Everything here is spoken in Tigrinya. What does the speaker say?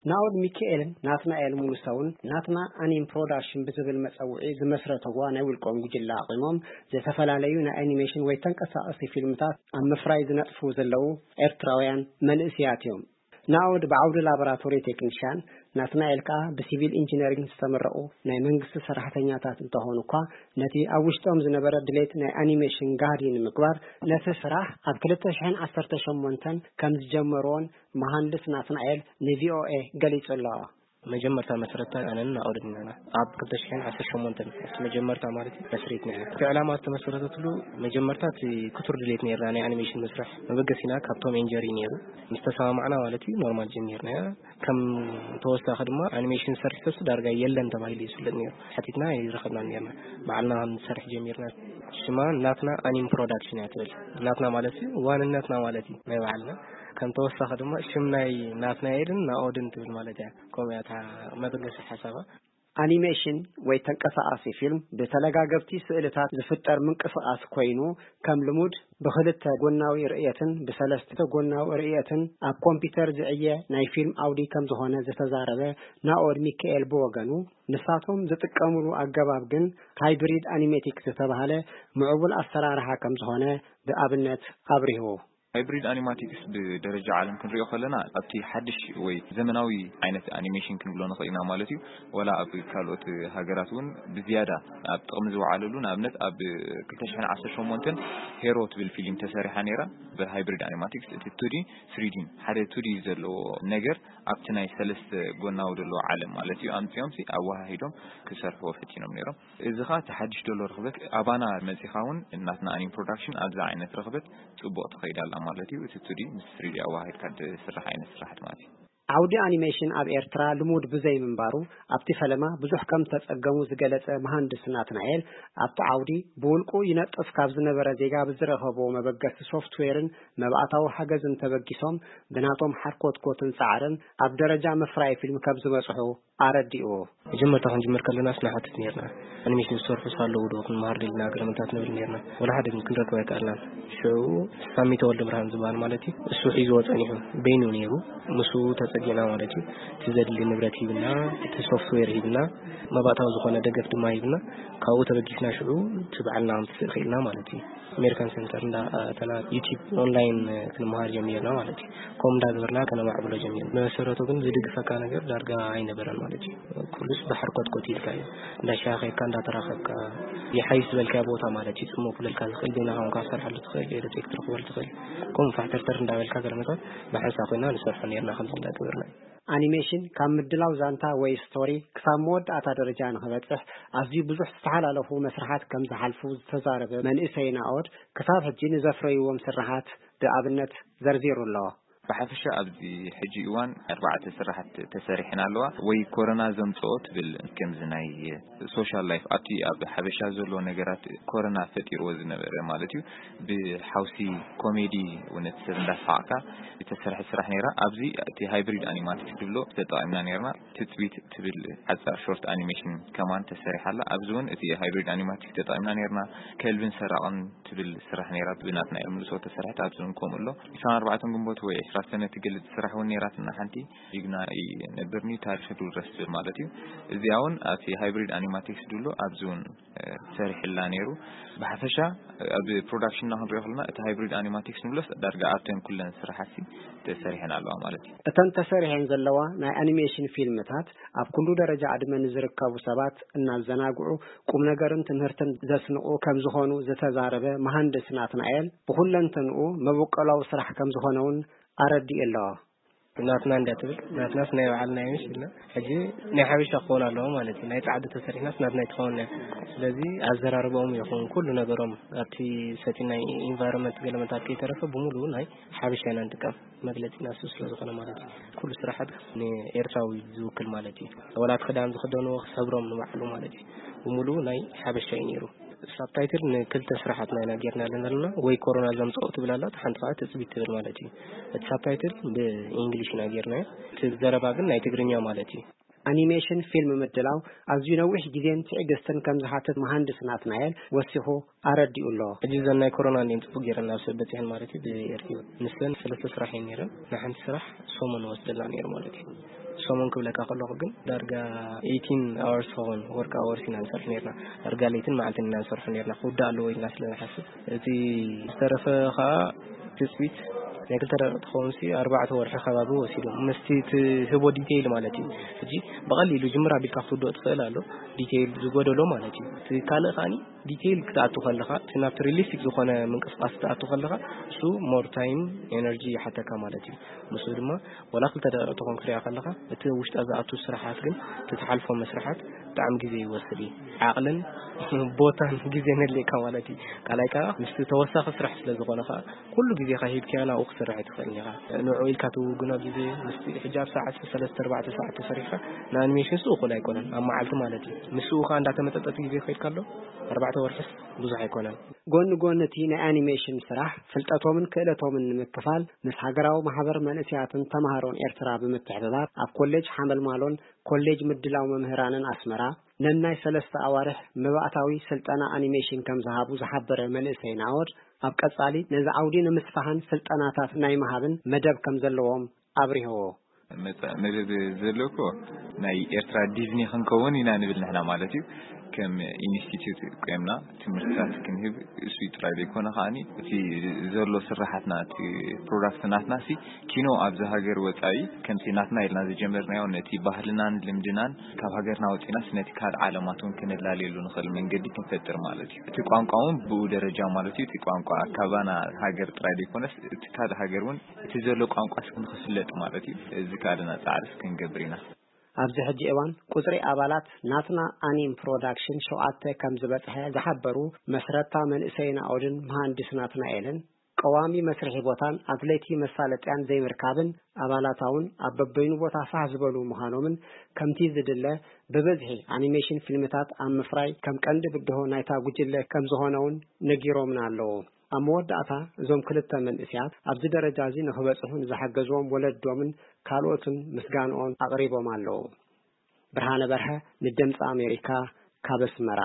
ናኦድ ሚካኤልን ናትናኤል ሙሉሰውን ናትና ኣኒም ፕሮዳክሽን ብዝብል መጸውዒ ዝመስረተዋ ናይ ውልቆም ጉጅለ ኣቑሞም፣ ዝተፈላለዩ ናይ ኣኒሜሽን ወይ ተንቀሳቐሲ ፊልምታት ኣብ ምፍራይ ዝነጥፉ ዘለዉ ኤርትራውያን መንእስያት እዮም። ናኦድ ብዓውዲ ላቦራቶሪ ቴክኒሽያን፣ ናትናኤል ከኣ ብሲቪል ኢንጂነሪንግ ዝተመረቑ ናይ መንግስቲ ሰራሕተኛታት እንተኾኑ እኳ፣ ነቲ ኣብ ውሽጦም ዝነበረ ድሌት ናይ ኣኒሜሽን ጋህዲ ንምግባር፣ ነቲ ስራሕ ኣብ ክልተ ሽሕን ዓሰርተ ሸሞንተን ከም ዝጀመርዎን መሃንድስ ናትናኤል ንቪኦኤ ገሊጹ ኣሎ። መጀመርታ መስረታ ኣነን ናኦድን ኢና። ኣብ ክልተ ሽሕን ዓሰርተ ሸሞንተን ኣብቲ መጀመርታ ማለት እዩ መስሪትና ኢና። እቲ ዕላማ ዝተመሰረተትሉ መጀመርታ እቲ ክቱር ድሌት ነይርና ናይ ኣኒሜሽን መስርሕ። መበገሲና ካብ ቶም ኤንድ ጀሪ ነይሩ። ምስ ተሰማማዕና ማለት እዩ ኖርማል ጀሚርና። ከም ተወሳኺ ድማ ኣኒሜሽን ዝሰርሕ ሰብ ዳርጋ የለን ተባሂሉ እዩ ዝፍለጥ ነይሩ። ሓቲትና ኣይረኸብናን ነርና። ባዕልና ከም ንሰርሕ ጀሚርና። ሽማ ናትና ኣኒም ፕሮዳክሽን እያ ትብል። ናትና ማለት እዩ ዋንነትና ማለት እዩ ናይ ባዕልና። ከም ተወሳኺ ድማ ሽም ናይ ናትናኤልን ናኦድን ትብል ማለት እያ። ከምኡ እያ እታ መበገሲ ሓሳባ። ኣኒሜሽን ወይ ተንቀሳቓሲ ፊልም ብተለጋገብቲ ስእልታት ዝፍጠር ምንቅስቓስ ኮይኑ፣ ከም ልሙድ ብኽልተ ጎናዊ ርእየትን ብሰለስተ ጎናዊ ርእየትን ኣብ ኮምፒውተር ዝዕየ ናይ ፊልም ዓውዲ ከም ዝኾነ ዝተዛረበ ናኦድ ሚካኤል ብወገኑ፣ ንሳቶም ዝጥቀምሉ ኣገባብ ግን ሃይብሪድ ኣኒሜቲክ ዝተባህለ ምዕቡል ኣሰራርሓ ከም ዝኾነ ብኣብነት ኣብሪሁ። ሃይብሪድ ኣኒማቲክስ ብደረጃ ዓለም ክንሪኦ ከለና ኣብቲ ሓድሽ ወይ ዘመናዊ ዓይነት ኣኒሜሽን ክንብሎ ንኽእል ኢና ማለት እዩ። ወላ ኣብ ካልኦት ሃገራት እውን ብዝያዳ ኣብ ጥቕሚ ዝወዓለሉ፣ ንኣብነት ኣብ ክልተ ሽሕን ዓሰርተ ሸሞንተን ሄሮ ትብል ፊልም ተሰሪሓ ነይራ ብሃይብሪድ ኣኒማቲክስ። እቲ ቱዲ ስሪዲን ሓደ ቱዲ ዘለዎ ነገር ኣብቲ ናይ ሰለስተ ጎናዊ ዘለዎ ዓለም ማለት እዩ ኣምጺኦም ሲ ኣወሃሂዶም ክሰርሕዎ ፈቲኖም ነይሮም። እዚ ኸኣ እቲ ሓድሽ ዘሎ ርኽበት ኣባና መጺኻ እውን እናትና ኣኒም ፕሮዳክሽን ኣብዚ ዓይነት ርኽበት ጽቡቕ ትኸይድ ኣላ ማለት እዩ። እቲ ቱዲ ምስ ስሪዲ ኣወሃሂድካ ዝስራሕ ዓይነት ስራሕቲ ማለት እዩ። ዓውዲ ኣኒሜሽን ኣብ ኤርትራ ልሙድ ብዘይ ምንባሩ ኣብቲ ፈለማ ብዙሕ ከም ተጸገሙ ዝገለጸ መሃንድስ ናትናኤል፣ ኣብቲ ዓውዲ ብውልቁ ይነጥፍ ካብ ዝነበረ ዜጋ ብዝረኸቦ መበገሲ ሶፍትዌርን መብኣታዊ ሓገዝን ተበጊሶም ብናቶም ሓርኮትኮትን ጻዕርን ኣብ ደረጃ ምፍራይ ፊልም ከም ዝበጽሑ ኣረዲኡ። መጀመርታ ክንጅምር ከለናስ ንሓትት ነርና። ኣኒሜሽን ዝሰርሑ ኣለዉ ዶ ክንመሃር ደሊና ገለመታት ንብል ነርና። ወላ ሓደ ግን ክንረክብ ኣይከኣልናን። ሽዑ ሳሚ ተወልደ ብርሃን ዝበሃል ማለት እዩ፣ እሱ ሒዝዎ ጸኒሑ በይኑ ነይሩ። ምስኡ ተጸጊዕና ማለት እዩ። እቲ ዘድሊ ንብረት ሂብና፣ እቲ ሶፍትዌር ሂብና፣ መባእታዊ ዝኾነ ደገፍ ድማ ሂብና። ካብኡ ተበጊስና ሽዑ እቲ በዓልና ክንትስእ ክኢልና ማለት እዩ። ኣሜሪካን ሴንተር እንዳ ኣተና ዩቲብ ኦንላይን ክንመሃር ጀሚርና ማለት እዩ። ከምኡ እንዳገበርና ከነማዕብሎ ጀሚርና። መሰረቱ ግን ዝድግፈካ ነገር ዳርጋ ኣይነበረን ማለት እዩ። ኩሉስ ብሓርኮትኮት ኢልካ እዩ። እንዳሻኸካ እንዳተራኸብካ ይሓይሽ ዝበልካዮ ቦታ ማለት እዩ። ጽሞ ክብለልካ ዝኽእል ዜና ኳንካ ክትሰርሓሉ ትኽእል፣ ኤሌክትሪክ ክትረኽበሉ ትኽእል። ከምኡ ፋሕተርተር እንዳበልካ ገለመታት ብሓንሳ ኮይና ንሰርሖ ነርና ከምዚ እንዳገበርና እዩ። ኣኒሜሽን ካብ ምድላው ዛንታ ወይ ስቶሪ ክሳብ መወዳእታ ደረጃ ንኽበጽሕ ኣዝዩ ብዙሕ ዝተሓላለፉ መስርሓት ከም ዝሓልፉ ዝተዛረበ መንእሰይ ናኦድ፣ ክሳብ ሕጂ ንዘፍረይዎም ስርሓት ብኣብነት ዘርዚሩ ኣሎ። ብሓፈሻ ኣብዚ ሕጂ እዋን ኣርባዕተ ስራሕቲ ተሰሪሐን ኣለዋ። ወይ ኮሮና ዘምጽኦ ትብል ከምዚ ናይ ሶሻል ላይፍ ኣብቲ ኣብ ሓበሻ ዘሎ ነገራት ኮሮና ፈጢርዎ ዝነበረ ማለት እዩ። ብሓውሲ ኮሜዲ እውነት ሰብ እንዳሰሓቕካ ዝተሰርሐ ስራሕ ነይራ። ኣብዚ እቲ ሃይብሪድ ኣኒማቲክስ ዝብሎ ተጠቒምና ነይርና። ትጽቢት ትብል ሓጻር ሾርት ኣኒሜሽን ከማን ተሰሪሓ ኣላ። ኣብዚ እውን እቲ ሃይብሪድ ኣኒማቲክስ ተጠቒምና ነይርና። ከልብን ሰራቕን ትብል ስራሕ ነይራ ብናትና ኤልምልሶ ተሰርሐት። ኣብዚ እውን ከምኡ ኣሎ። ዕስራን ኣርባዕተን ግንቦት ወይ ዕስራ ሰነ ትገልጽ ስራሕ እውን ነይራትና ሓንቲ። ጅግና ይነብርኒ ታሪኽ ድውረስ ዝብል ማለት እዩ። እዚኣ እውን ኣብቲ ሃይብሪድ ኣኒማቲክስ ድብሎ ኣብዚ እውን ሰሪሕላ ነይሩ። ብሓፈሻ ኣብ ፕሮዳክሽንና ክንሪኦ ከለና እቲ ሃይብሪድ ኣኒማቲክስ ንብሎስ ዳርጋ ኣብተን ኩለን ስራሓትሲ ተሰሪሐን ኣለዋ ማለት እዩ። እተን ተሰሪሐን ዘለዋ ናይ ኣኒሜሽን ፊልምታት ኣብ ኩሉ ደረጃ ዕድመ ንዝርከቡ ሰባት እናዘናግዑ ቁም ነገርን ትምህርትን ዘስንቑ ከም ዝኾኑ ዝተዛረበ መሃንድስ ናትናኤል፣ ብኹለንተንኡ መበቆላዊ ስራሕ ከም ዝኾነ እውን ኣረዲኡ ኣሎ። ናትና እንዳ ትብል፣ ናትናስ ናይ ባዕልና እዩ ኢልና፣ ሕጂ ናይ ሓበሻ ክኸውን ኣለዎ ማለት እዩ። ናይ ጻዕዲ ተሰሪሕናስ ናትና ኣይትኸውን እያ። ስለዚ ኣዘራርባኦም ይኹን ኩሉ ነገሮም ኣብቲ ሰቲ ናይ ኢንቫይሮንመንት ገለመታት ከይተረፈ ብምሉኡ ናይ ሓበሻ ኢና ንጥቀም። መግለጺና እሱ ስለ ዝኾነ ማለት እዩ። ኩሉ ስራሓት ንኤርትራዊ ዝውክል ማለት እዩ። ወላ እቲ ክዳን ዝኽደንዎ ሕብሮም ንባዕሉ ማለት እዩ። ብምሉኡ ናይ ሓበሻ እዩ ነይሩ። ሳብታይትል ንክልተ ስራሓትና ኢና ጌርና ዘለና። ወይ ኮሮና ዘምጽኦ ትብል ኣላ፣ ሓንቲ ከዓ ትጽቢት ትብል ማለት እዩ። እቲ ሳብታይትል ብእንግሊሽ ኢና ጌርናዮ። እቲ ዘረባ ግን ናይ ትግርኛ ማለት እዩ። ኣኒሜሽን ፊልም ምድላው ኣዝዩ ነዊሕ ግዜን ትዕግስትን ከም ዝሓትት መሃንድስ ናትናኤል ወሲኹ ኣረዲኡ ኣሎ። ሕጂ እዘን ናይ ኮሮና እኔን ጽቡቅ ጌረን ናብ ሰብ በጺሐን ማለት እዩ። ብኤርትዮ ንሰን ሰለስተ ስራሕ እየን ኔረን። ንሓንቲ ስራሕ ሰሙን ወስደላ ነይሩ ማለት እዩ። ሰሙን ክብለካ ከለኹ ግን ዳርጋ eighteen hours ኸውን፣ work hours ኢና ንሰርሕ ነርና። ዳርጋ ለይትን መዓልትን ኢና ንሰርሑ ነርና፣ ክውዳእ ኣለዎ ኢልና ስለ ንሓስብ። እቲ ዝተረፈ ከዓ ትፅቢት ናይ ክልተ ደቂቕ ትኸውን ሲ ኣርባዕተ ወርሒ ከባቢ ወሲዱ ምስቲ ትህቦ ዲቴይል ማለት እዩ። ሕጂ ብቐሊሉ ጅምር ኣቢልካ ክትውድኦ ትኽእል ኣሎ፣ ዲቴይል ዝጎደሎ ማለት እዩ። እቲ ካልእ ከዓኒ ዲቴይል ክትኣቱ ከለኻ፣ እቲ ናብቲ ሪሊስቲክ ዝኾነ ምንቅስቃስ ክትኣቱ ከለኻ፣ እሱ ሞር ታይም፣ ኤነርጂ ይሓተካ ማለት እዩ። ምስኡ ድማ ዋላ ክልተ ደቂቕ ትኾን ክትሪኣ ከለኻ፣ እቲ ውሽጣ ዝኣቱ ስራሓት ግን፣ እቲ ትሓልፎ መስርሓት ብጣዕሚ ግዜ ይወስድ እዩ። ዓቕልን ቦታን ግዜን የድልየካ ማለት እዩ። ካልኣይ ከዓ ምስቲ ተወሳኺ ስራሕ ስለ ዝኾነ ከዓ፣ ኩሉ ግዜኻ ሂብካዮ ናብኡ ክትሰርሕ ኣይትኽእልን ኢኻ። ንዕኡ ኢልካ ትውግኖ ግዜ፣ ምስቲ ሕጂ ኣብ ሰዓት ሰለስተ ኣርባዕተ ሰዓት ተሰሪሕካ፣ ንኣኒሜሽን ንሱ እኹል ኣይኮነን፣ ኣብ መዓልቲ ማለት እዩ። ንስኡ ከዓ እንዳተመጠጠ እቲ ግዜ ከይድካ ኣሎ፣ ኣርባዕተ ወርሕስ ብዙሕ ኣይኮነን። ጎኒ ጎኒ እቲ ናይ ኣኒሜሽን ስራሕ፣ ፍልጠቶምን ክእለቶምን ንምክፋል፣ ምስ ሃገራዊ ማሕበር መንእሰያትን ተማሃሮን ኤርትራ ብምትሕብባር፣ ኣብ ኮሌጅ ሓመልማሎን ኮሌጅ ምድላው መምህራንን ኣስመራ፣ ነናይ ሰለስተ ኣዋርሕ መባእታዊ ስልጠና ኣኒሜሽን ከም ዝሃቡ ዝሓበረ መንእሰይ ናኦድ፣ ኣብ ቀጻሊ ነዚ ዓውዲ ንምስፋሕን ስልጠናታት ናይ ምሃብን መደብ ከም ዘለዎም ኣብሪህዎ። መጻ-፣ መደብ ዘሎ እኮ ናይ ኤርትራ ዲዝኒ ክንከውን ኢና ንብል ንሕና ማለት እዩ። ከም ኢንስቲትዩት ቆምና ትምህርትታት ክንህብ፣ እሱ ጥራይ ዘይኮነ ከዓኒ፣ እቲ ዘሎ ስራሓትና፣ እቲ ፕሮዳክት ናትና ሲ ኪኖ ኣብዚ ሃገር ወጻኢ ከምቲ ናትና ኢልና ዝጀመርናዮ፣ ነቲ ባህልናን ልምድናን ካብ ሃገርና ወጺናስ ነቲ ካልእ ዓለማት እውን ከነላልየሉ ንኽእል መንገዲ ክንፈጥር ማለት እዩ። እቲ ቋንቋ እውን ብኡ ደረጃ ማለት እዩ። እቲ ቋንቋ ካባና ሃገር ጥራይ ዘይኮነስ፣ እቲ ካልእ ሃገር እውን እቲ ዘሎ ቋንቋ ክንክፍለጥ ማለት እዩ። እዚ ካልእና ጻዕርስ ክንገብር ኢና። ኣብዚ ሕጂ እዋን ቁጽሪ ኣባላት ናትና ኣኒም ፕሮዳክሽን ሸውዓተ ከም ዝበጽሐ ዝሓበሩ መስረታ መንእሰይ ናኦድን መሃንድስ ናትናኤልን፣ ቀዋሚ መስርሒ ቦታን ኣድለይቲ መሳለጥያን ዘይምርካብን፣ ኣባላታ እውን ኣብ በበይኑ ቦታ ፋሕ ዝበሉ ምዃኖምን፣ ከምቲ ዝድለ ብብዝሒ ኣኒሜሽን ፊልምታት ኣብ ምፍራይ ከም ቀንዲ ብድሆ ናይታ ጉጅለ ከም ዝኾነ እውን ነጊሮምና ኣለዉ። ኣብ መወዳእታ እዞም ክልተ መንእሰያት ኣብዚ ደረጃ እዚ ንኽበጽሑ ንዝሓገዝዎም ወለዶምን ካልኦትን ምስጋንኦም ኣቕሪቦም ኣለዉ። ብርሃነ በርሀ ንድምፂ ኣሜሪካ ካብ ኣስመራ።